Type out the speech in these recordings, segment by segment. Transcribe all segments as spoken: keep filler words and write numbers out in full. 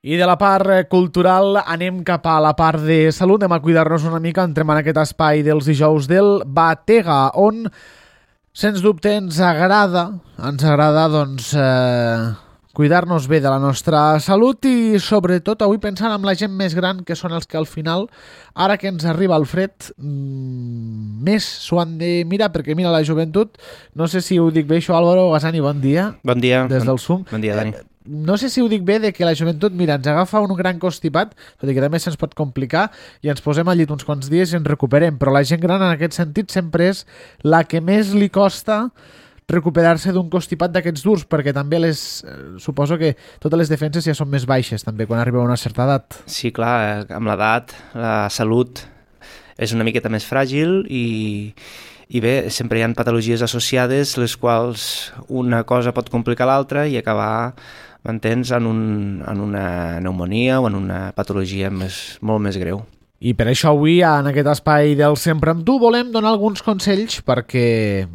I de la part cultural anem cap a la part de salut, anem a cuidar-nos una mica, entrem en aquest espai dels dijous del Batega, on, sens dubte, ens agrada, ens agrada, doncs, eh, cuidar-nos bé de la nostra salut i, sobretot, avui pensant en la gent més gran, que són els que al final, ara que ens arriba el fred, mmm, més s'ho han de mirar, perquè mira, la joventut, no sé si ho dic bé això, Álvaro Gasani, bon dia. Bon dia. Des del SUM. Bon dia, Dani. Eh, no sé si ho dic bé de que la joventut, mira, ens agafa un gran constipat, tot i que també se'ns pot complicar, i ens posem al llit uns quants dies i ens recuperem, però la gent gran en aquest sentit sempre és la que més li costa recuperar-se d'un constipat d'aquests durs, perquè també les, eh, suposo que totes les defenses ja són més baixes també quan arriba a una certa edat. Sí, clar, amb l'edat la salut és una miqueta més fràgil i, i bé, sempre hi ha patologies associades les quals una cosa pot complicar l'altra i acabar, m'entens, en, un, en una pneumonia o en una patologia més, molt més greu. I per això avui, en aquest espai del Sempre amb tu, volem donar alguns consells perquè,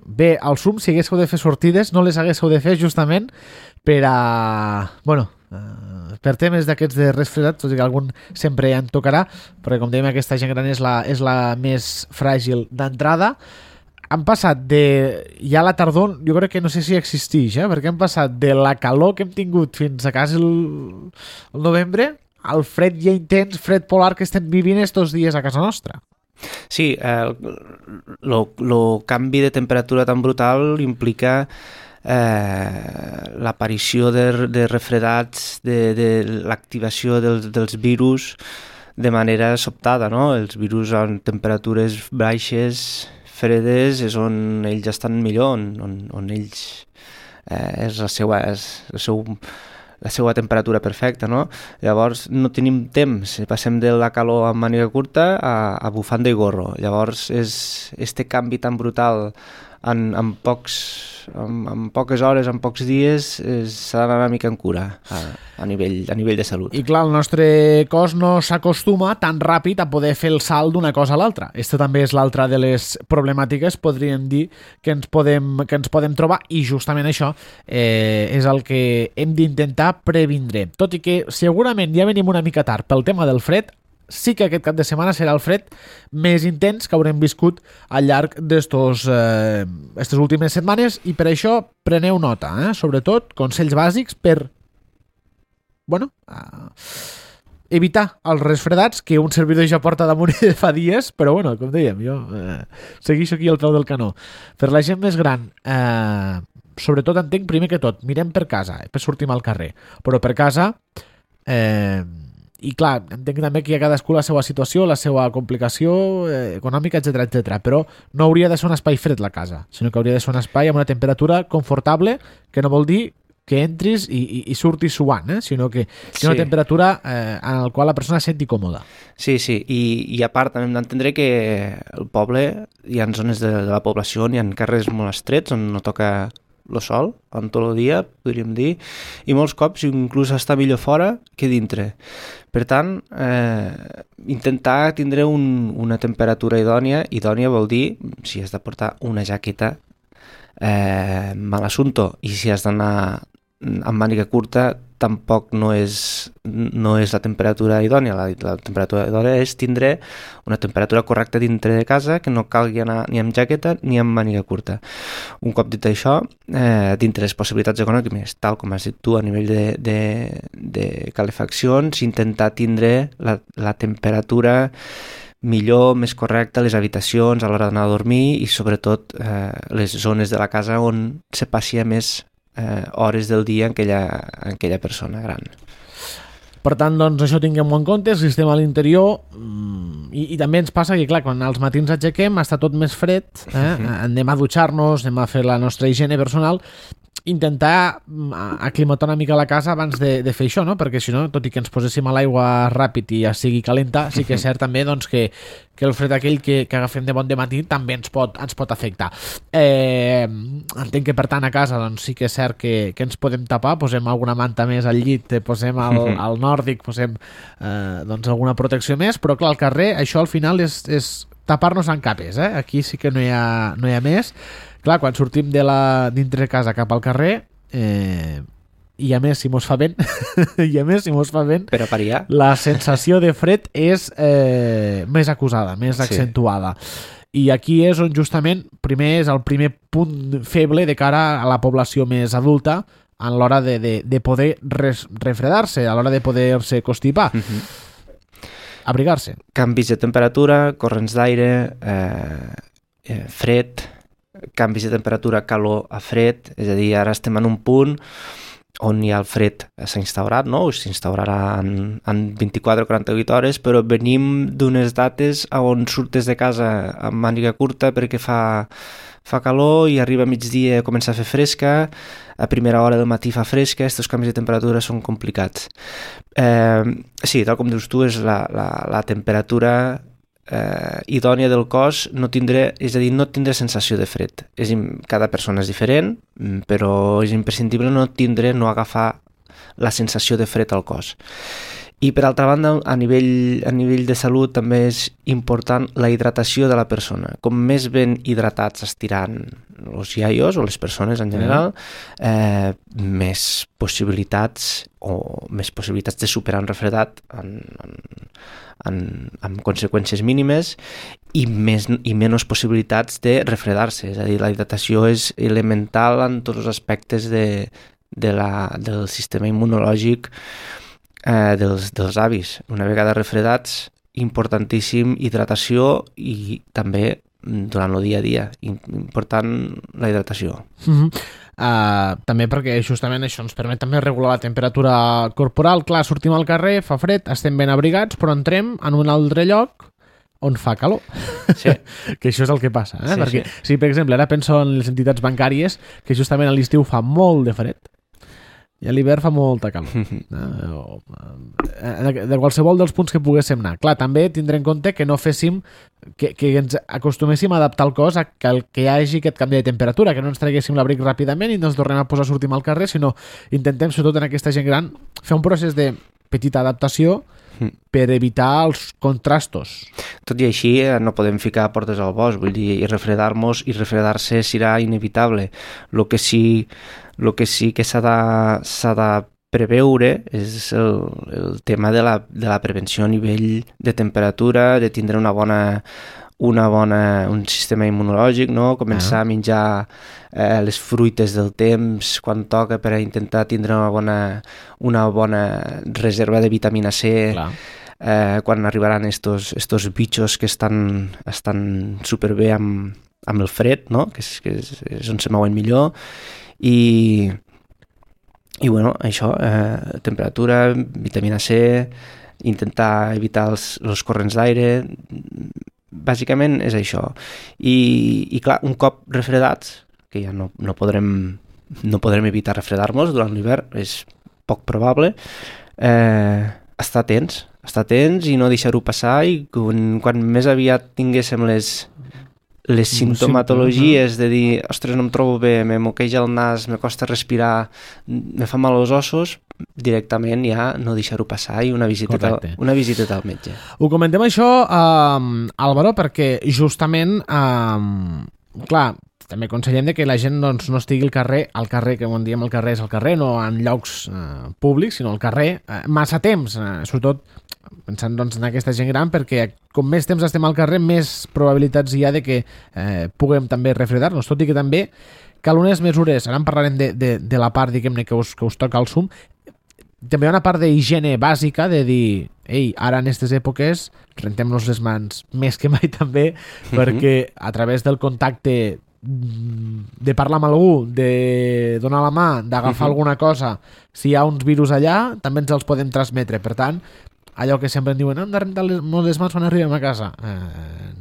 bé, al SUM, si haguéssiu de fer sortides, no les haguéssiu de fer justament per a, bueno, per temes d'aquests de resfriat, tot i que algun sempre ja en tocarà, perquè com dèiem, aquesta gent gran és la, és la més fràgil d'entrada. Han passat de, ja la tardor, jo crec que no sé si existeix, eh? Perquè han passat de la calor que hem tingut fins a quasi el, el novembre, al fred ja intens, fred polar que estem vivint estos dies a casa nostra. Sí, el canvi de temperatura tan brutal implica eh, l'aparició de, de refredats, de, de l'activació dels, dels virus de manera sobtada, no? Els virus en temperatures baixes, fredes, és on ells estan millor, on, on, on ells eh, és la seva, és el seu, la seva temperatura perfecta, no? Llavors no tenim temps, passem de la calor amb màniga curta a, a bufanda i gorro. Llavors és este canvi tan brutal en, en, pocs, en, en poques hores, en pocs dies, s'ha d'anar una mica en cura a, a, nivell, a nivell de salut. I clar, el nostre cos no s'acostuma tan ràpid a poder fer el salt d'una cosa a l'altra. Aquesta també és l'altra de les problemàtiques, podríem dir, que ens podem, que ens podem trobar, i justament això eh, és el que hem d'intentar previndre. Tot i que segurament ja venim una mica tard pel tema del fred, sí que aquest cap de setmana serà el fred més intens que haurem viscut al llarg d'estos eh, estes últimes setmanes, i per això preneu nota, eh? Sobretot consells bàsics per bueno, uh, evitar els resfredats que un servidor ja porta damunt de fa dies, però bueno, com dèiem, jo eh, segueixo aquí al peu del canó. Per la gent més gran, eh, sobretot entenc primer que tot, mirem per casa, eh, per sortir al carrer, però per casa eh, i clar, entenc també que hi ha cadascú la seva situació, la seva complicació eh, econòmica, etcètera, etcètera. Però no hauria de ser un espai fred la casa, sinó que hauria de ser un espai amb una temperatura confortable, que no vol dir que entris i, i, i surtis suant, eh? Sinó que sí, una temperatura eh, en la qual la persona es senti còmoda. Sí, sí, i, i a part hem d'entendre que el poble, hi ha zones de, de la població, hi ha carrers molt estrets on no toca el sol, en tot el dia, podríem dir, i molts cops inclús està millor fora que dintre. Per tant, eh, intentar tindre un, una temperatura idònia, idònia vol dir, si has de portar una jaqueta, eh, mal assunto, i si has d'anar amb màniga curta, tampoc no és, no és la temperatura idònia. La, la temperatura idònia és tindre una temperatura correcta dintre de casa, que no calgui anar ni amb jaqueta ni amb màniga curta. Un cop dit això, eh, dintre les possibilitats econòmiques, tal com has dit tu, a nivell de, de, de calefaccions, intentar tindre la, la temperatura millor, més correcta a les habitacions a l'hora d'anar a dormir, i sobretot eh, les zones de la casa on se passi més Eh, hores del dia en aquella, en aquella persona gran. Per tant, doncs, això tinguem-ho en compte, si estem a l'interior, i, i també ens passa que, clar, quan als matins aixequem està tot més fred, eh? Anem a dutxar-nos, anem a fer la nostra higiene personal, intentar aclimatar una mica la casa abans de, de fer això, no? Perquè si no, tot i que ens poséssim a l'aigua ràpid i ja sigui calenta, sí que és cert també doncs, que, que el fred aquell que, que agafem de bon de matí també ens pot, ens pot afectar. Eh, entenc que per tant a casa doncs, sí que és cert que, que ens podem tapar, posem alguna manta més al llit, posem el, el nòrdic, posem eh, doncs, alguna protecció més, però clar, al carrer això al final és, és tapar-nos en capes, eh? Aquí sí que no hi ha, no hi ha més. Clar, quan sortim de la dintre casa cap al carrer, eh, i a més si mos fa vent i a més si mos fa vent per a pariar, la sensació de fred és eh, més acusada, més Sí. accentuada. I aquí és on justament primer és el primer punt feble de cara a la població més adulta a l'hora de, de, de poder res, refredar-se, a l'hora de poder-se constipar. uh -huh. Abrigar-se. canvis de temperatura, corrents d'aire, eh, eh, fred, canvis de temperatura, calor a fred, és a dir, ara estem en un punt on ja el fred s'ha instaurat, no? S'instaurarà en, en vint-i-quatre o quaranta-vuit hores, però venim d'unes dates on surtes de casa amb màniga curta perquè fa, fa calor i arriba a migdia i comença a fer fresca, a primera hora del matí fa fresca, aquests canvis de temperatura són complicats. Eh, sí, tal com dius tu, és la, la, la temperatura eh, idònia del cos, no tindré, és a dir, no tindré sensació de fred. És, cada persona és diferent, però és imprescindible no tindre, no agafar la sensació de fred al cos. I per altra banda, a nivell, a nivell de salut també és important la hidratació de la persona. Com més ben hidratats estiran els iaios o les persones en general, eh, més possibilitats o més possibilitats de superar un refredat en, en, en, amb conseqüències mínimes i, més, i menys possibilitats de refredar-se. És a dir, la hidratació és elemental en tots els aspectes de, de la, del sistema immunològic eh, dels, dels avis. Una vegada refredats, importantíssim hidratació i també durant el dia a dia. Important la hidratació. Uh-huh. Uh, també perquè justament això ens permet també regular la temperatura corporal. Clar, sortim al carrer, fa fred, estem ben abrigats, però entrem en un altre lloc on fa calor. Sí. Que això és el que passa. Eh? Sí, perquè, sí. Si, per exemple, ara penso en les entitats bancàries, que justament a l'estiu fa molt de fred, i a l'hivern fa molta calor. eh? O, eh, de qualsevol dels punts que poguéssim anar. Clar, també tindrem en compte que no féssim, que, que ens acostuméssim a adaptar el cos a que, el, que hi hagi aquest canvi de temperatura, que no ens traguéssim l'abric ràpidament i no ens tornem a posar a sortir al carrer, sinó intentem, sobretot en aquesta gent gran, fer un procés de petita adaptació per evitar els contrastos. Tot i així, no podem ficar portes al bosc, vull dir, i refredar-nos i refredar-se serà inevitable. El que sí, lo que, sí que s'ha de, s'ha de preveure és el, el tema de la, de la prevenció a nivell de temperatura, de tindre una bona, una bona, un sistema immunològic, no? Començar ah. a menjar eh, les fruites del temps quan toca per a intentar tindre una bona, una bona reserva de vitamina C. Clar. Eh, quan arribaran estos, estos bitxos que estan, estan superbé amb, amb el fred, no? que, és, que és, és on se mouen millor. I, i bueno, això, eh, temperatura, vitamina C, intentar evitar els, els corrents d'aire, bàsicament és això. I, i clar, un cop refredats, que ja no, no, podrem, no podrem evitar refredar-nos durant l'hivern, és poc probable, eh, estar atents, estar atents i no deixar-ho passar, i quan, quan més aviat tinguéssim les, les simptomatologies de dir, ostres, no em trobo bé, me moqueja el nas, me costa respirar, me fa mal els ossos, directament ja no deixar-ho passar i una visita, al, una visita al metge. Ho comentem això, eh, Álvaro, perquè justament, eh, clar, també aconsellem que la gent doncs, no estigui al carrer, al carrer, que quan diem el carrer és al carrer, no en llocs eh, públics, sinó al carrer, eh, massa temps, eh, sobretot pensant doncs, en aquesta gent gran, perquè com més temps estem al carrer, més probabilitats hi ha de que eh, puguem també refredar-nos, tot i que també cal unes mesures, ara en parlarem de, de, de la part, diguem-ne, que us, que us toca al sum, també hi ha una part d'higiene bàsica de dir, ei, ara en aquestes èpoques rentem-nos les mans més que mai també, uh-huh. perquè a través del contacte de parlar amb algú, de donar la mà, d'agafar uh-huh. alguna cosa, si hi ha uns virus allà, també ens els podem transmetre. Per tant, allò que sempre en diuen, hem de rentar les, les mans quan arribem a casa. Eh,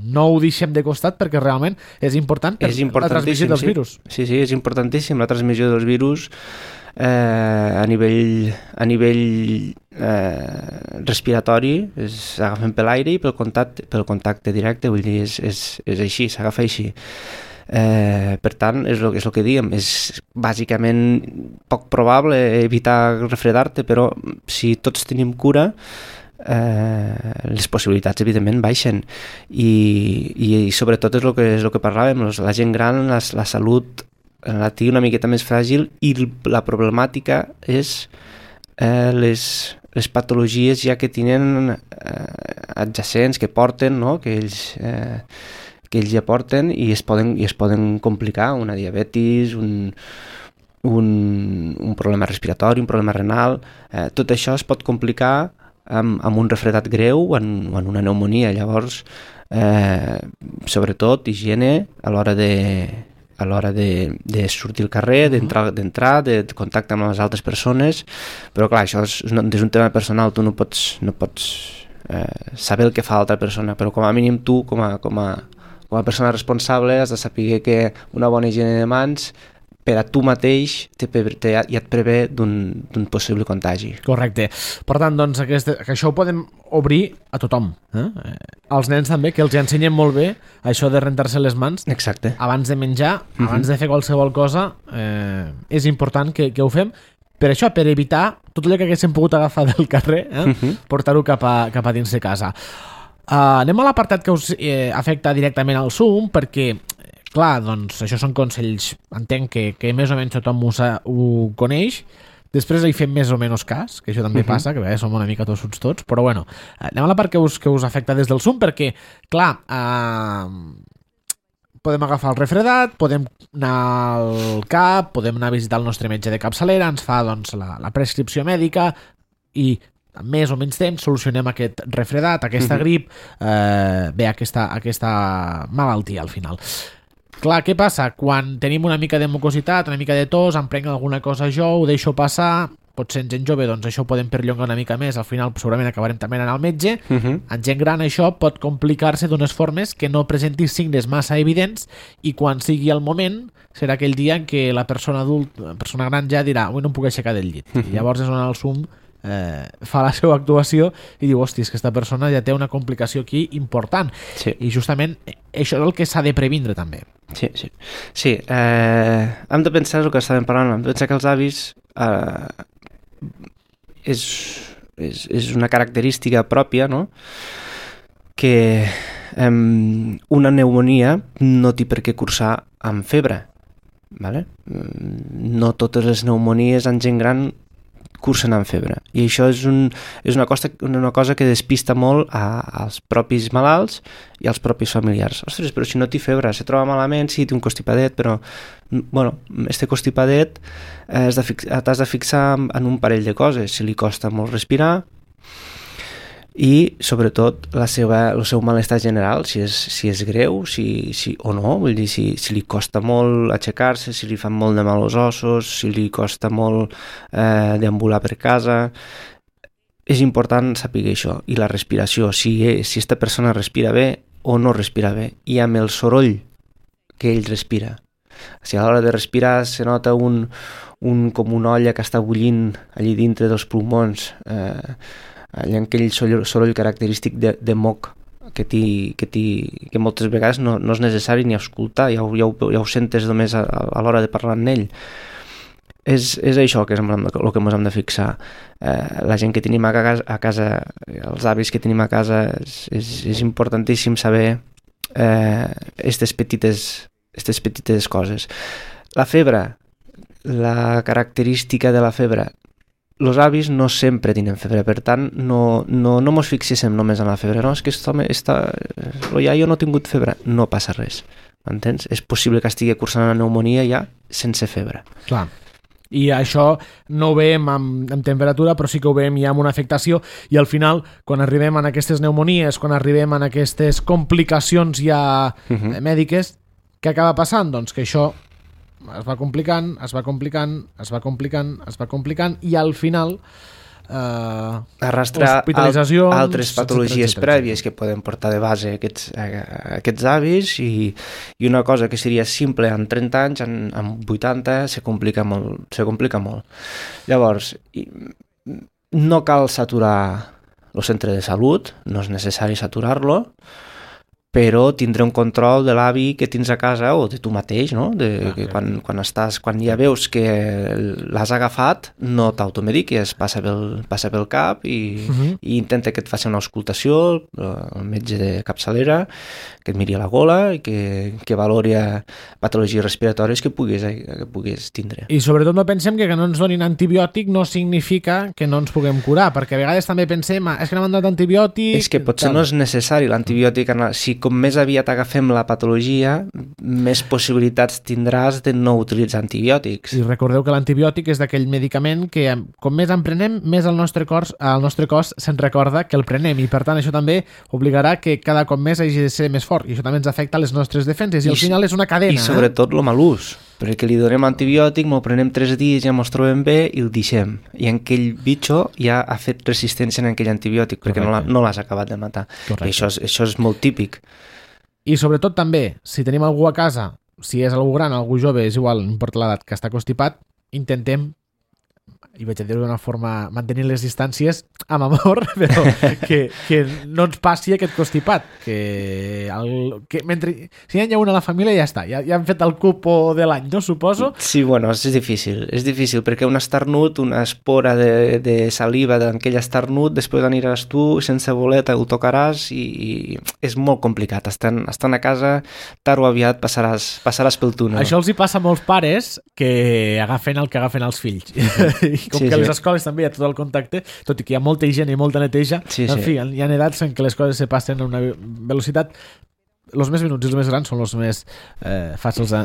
no ho deixem de costat perquè realment és important per és la transmissió dels sí. virus. Sí, sí, és importantíssim la transmissió dels virus eh, a nivell, a nivell eh, respiratori, és, agafen per l'aire i pel contacte, pel contacte directe, vull dir, és, és, és així, s'agafa així. Eh, per tant, és el, és el que diguem, és bàsicament poc probable evitar refredar-te, però si tots tenim cura, eh, les possibilitats evidentment baixen i, i, i sobretot és el que, és el que parlàvem, la gent gran, la, la salut la té una miqueta més fràgil i la problemàtica és eh, les, les patologies ja que tenen eh, adjacents, que porten, no? que, ells, eh, que ells ja porten i es poden, i es poden complicar, una diabetis, un, un, un problema respiratori, un problema renal, eh, tot això es pot complicar amb, amb un refredat greu o en, o en una pneumonia. Llavors, eh, sobretot, higiene a l'hora de a l'hora de, de sortir al carrer, d'entrar, d'entrar, de contacte amb les altres persones, però clar, això és, és un tema personal, tu no pots, no pots eh, saber el que fa l'altra persona, però com a mínim tu, com a, com a, com a persona responsable, has de saber que una bona higiene de mans per a tu mateix te, te, ja et prevé d'un possible contagi. Correcte. Per tant, doncs, aquest, que això ho podem obrir a tothom. Eh? Als nens també, que els ensenyen molt bé això de rentar-se les mans. Exacte. Abans de menjar, Uh-huh. abans de fer qualsevol cosa, eh, és important que, que ho fem. Per això, per evitar tot allò que haguéssim pogut agafar del carrer, eh? Uh-huh. portar-ho cap, a, cap a dins de casa. Uh, anem a l'apartat que us eh, afecta directament al Zoom, perquè clar, doncs això són consells, entenc que, que més o menys tothom ho, sa, ho coneix, després hi fem més o menys cas, que això també uh-huh. passa, que bé, som una mica tossuts tots, però bueno, anem a la part que us, que us afecta des del Zoom, perquè, clar, eh, podem agafar el refredat, podem anar al cap, podem anar a visitar el nostre metge de capçalera, ens fa doncs, la, la prescripció mèdica i amb més o menys temps solucionem aquest refredat, aquesta uh-huh. grip, eh, bé, aquesta, aquesta malaltia al final. Clar, què passa? Quan tenim una mica de mucositat, una mica de tos, em prenc alguna cosa jo, ho deixo passar, potser en gent jove doncs això ho podem perllongar una mica més, al final segurament acabarem també anant al metge. Uh-huh. En gent gran això pot complicar-se d'unes formes que no presenti signes massa evidents i quan sigui el moment serà aquell dia en què la persona adult, la persona gran ja dirà avui no em puc aixecar del llit. Uh-huh. I llavors és on el Zoom eh, fa la seva actuació i diu, hòstia, és que aquesta persona ja té una complicació aquí important. Sí. I justament això és el que s'ha de previndre també. Sí, sí. Sí, eh, hem de pensar el que estàvem parlant, hem de pensar que els avis eh, és, és, és una característica pròpia, no? Que eh, una pneumonia no té per què cursar amb febre, vale? No totes les pneumonies en gent gran cursen amb febre i això és, un, és una, cosa, una cosa que despista molt a, als propis malalts i als propis familiars. Ostres, però si no té febre, se troba malament, sí, té un constipadet, però bueno, este constipadet eh, t'has de fixar en un parell de coses, si li costa molt respirar i sobretot la seva, el seu malestar general, si és, si és greu si, si, o no, vull dir, si, si li costa molt aixecar-se, si li fan molt de mal als ossos, si li costa molt eh, deambular per casa. És important saber això. I la respiració, si, si esta persona respira bé o no respira bé, i amb el soroll que ell respira. Si a l'hora de respirar se nota un, un, com una olla que està bullint allí dintre dels pulmons, eh, allà aquell soroll característic de, de moc que, ti, que, ti, que moltes vegades no, no és necessari ni escoltar, ja ho, ja ho, ja ho sentes només a, a l'hora de parlar amb ell. És, és això que és el que ens hem de fixar. Eh, la gent que tenim a casa, a casa, els avis que tenim a casa, és, és, és importantíssim saber aquestes eh, petites, aquestes petites coses. La febre, la característica de la febre, els avis no sempre tenen febre, per tant, no, no, no mos fixéssim només en la febre. No, és que aquest home està... el iaio no ha tingut febre. No passa res, m'entens? És possible que estigui cursant una pneumonia ja sense febre. Clar. I això no ho veiem amb, amb temperatura, però sí que ho veiem ja amb una afectació i al final, quan arribem a aquestes pneumonies, quan arribem a aquestes complicacions ja uh-huh. mèdiques, què acaba passant? Doncs que això es va complicant, es va complicant, es va complicant, es va complicant i al final eh, arrastrar hospitalitzacions, al, altres patologies etcètera, prèvies que poden portar de base aquests, aquests avis i, i una cosa que seria simple en trenta anys, en, en vuitanta se complica molt, se complica molt. Llavors, no cal saturar el centre de salut, no és necessari saturar-lo, però tindré un control de l'avi que tens a casa o de tu mateix, no? De, ah, que quan, quan, estàs, quan ja veus que l'has agafat, no t'automediques, passa pel, passa pel cap i, uh -huh. i intenta que et faci una auscultació, el metge de capçalera, que et miri a la gola i que, que valori patologies respiratòries que puguis, que puguis tindre. I sobretot no pensem que que no ens donin antibiòtic no significa que no ens puguem curar, perquè a vegades també pensem, ah, és que no m'han donat antibiòtic... És que potser tal. No és necessari l'antibiòtic, si com més aviat agafem la patologia, més possibilitats tindràs de no utilitzar antibiòtics. I recordeu que l'antibiòtic és d'aquell medicament que com més en prenem, més el nostre cos, el nostre cos se'n recorda que el prenem, i per tant això també obligarà que cada cop més hagi de ser més fort, i això també ens afecta a les nostres defenses, i, I al final és una cadena. I sobretot el mal ús, perquè li donem antibiòtic, me'l prenem tres dies, ja mos trobem bé i el deixem. I aquell bitxo ja ha fet resistència en aquell antibiòtic, perquè Correcte. no l'has acabat de matar. Correcte. I això és, això és molt típic. I sobretot també, si tenim algú a casa, si és algú gran, algú jove, és igual, no importa l'edat, que està constipat, intentem, i vaig a dir-ho d'una forma, mantenir les distàncies amb amor, però que, que no ens passi aquest constipat, que, el, que mentre, si hi ha una a la família ja està, ja, ja han fet el cupo de l'any, no suposo? Sí, bueno, és difícil, és difícil, perquè un esternut, una espora de, de saliva d'aquell esternut, després aniràs tu, sense voler, te'l tocaràs i, i és molt complicat, estan, estan a casa, tard o aviat passaràs, passaràs pel túnel. Això els hi passa a molts pares que agafen el que agafen els fills. Com sí, que a les sí. escoles també hi ha tot el contacte, tot i que hi ha molta higiene i molta neteja, sí, en sí. fi, hi ha edats en què les coses se passen a una velocitat. Els més minuts i els més grans són els més eh, fàcils de,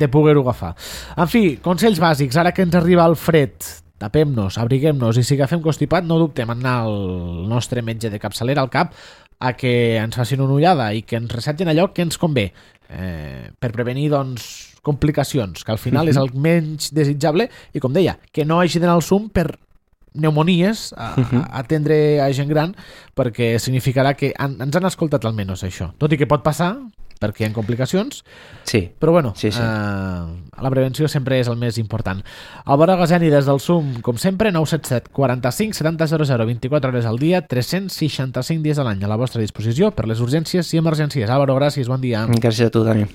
de poder-ho agafar. En fi, consells bàsics, ara que ens arriba el fred, tapem-nos, abriguem-nos, i si agafem constipat, no dubtem en anar al nostre metge de capçalera al cap a que ens facin una ullada i que ens receptin allò que ens convé, eh, per prevenir, doncs, complicacions, que al final és el menys desitjable, i com deia, que no hagi d'anar al sum per pneumonies a, a atendre a gent gran, perquè significarà que han, ens han escoltat almenys això, tot i que pot passar perquè hi ha complicacions, sí. però bueno, sí, sí. Eh, la prevenció sempre és el més important. Álvaro Gazeni, des del SUM, com sempre, nou set set, quaranta-cinc, setanta, zero zero, vint-i-quatre hores al dia, tres-cents seixanta-cinc dies a l'any a la vostra disposició per les urgències i emergències. Álvaro, gràcies, bon dia. Gràcies a tu, Dani.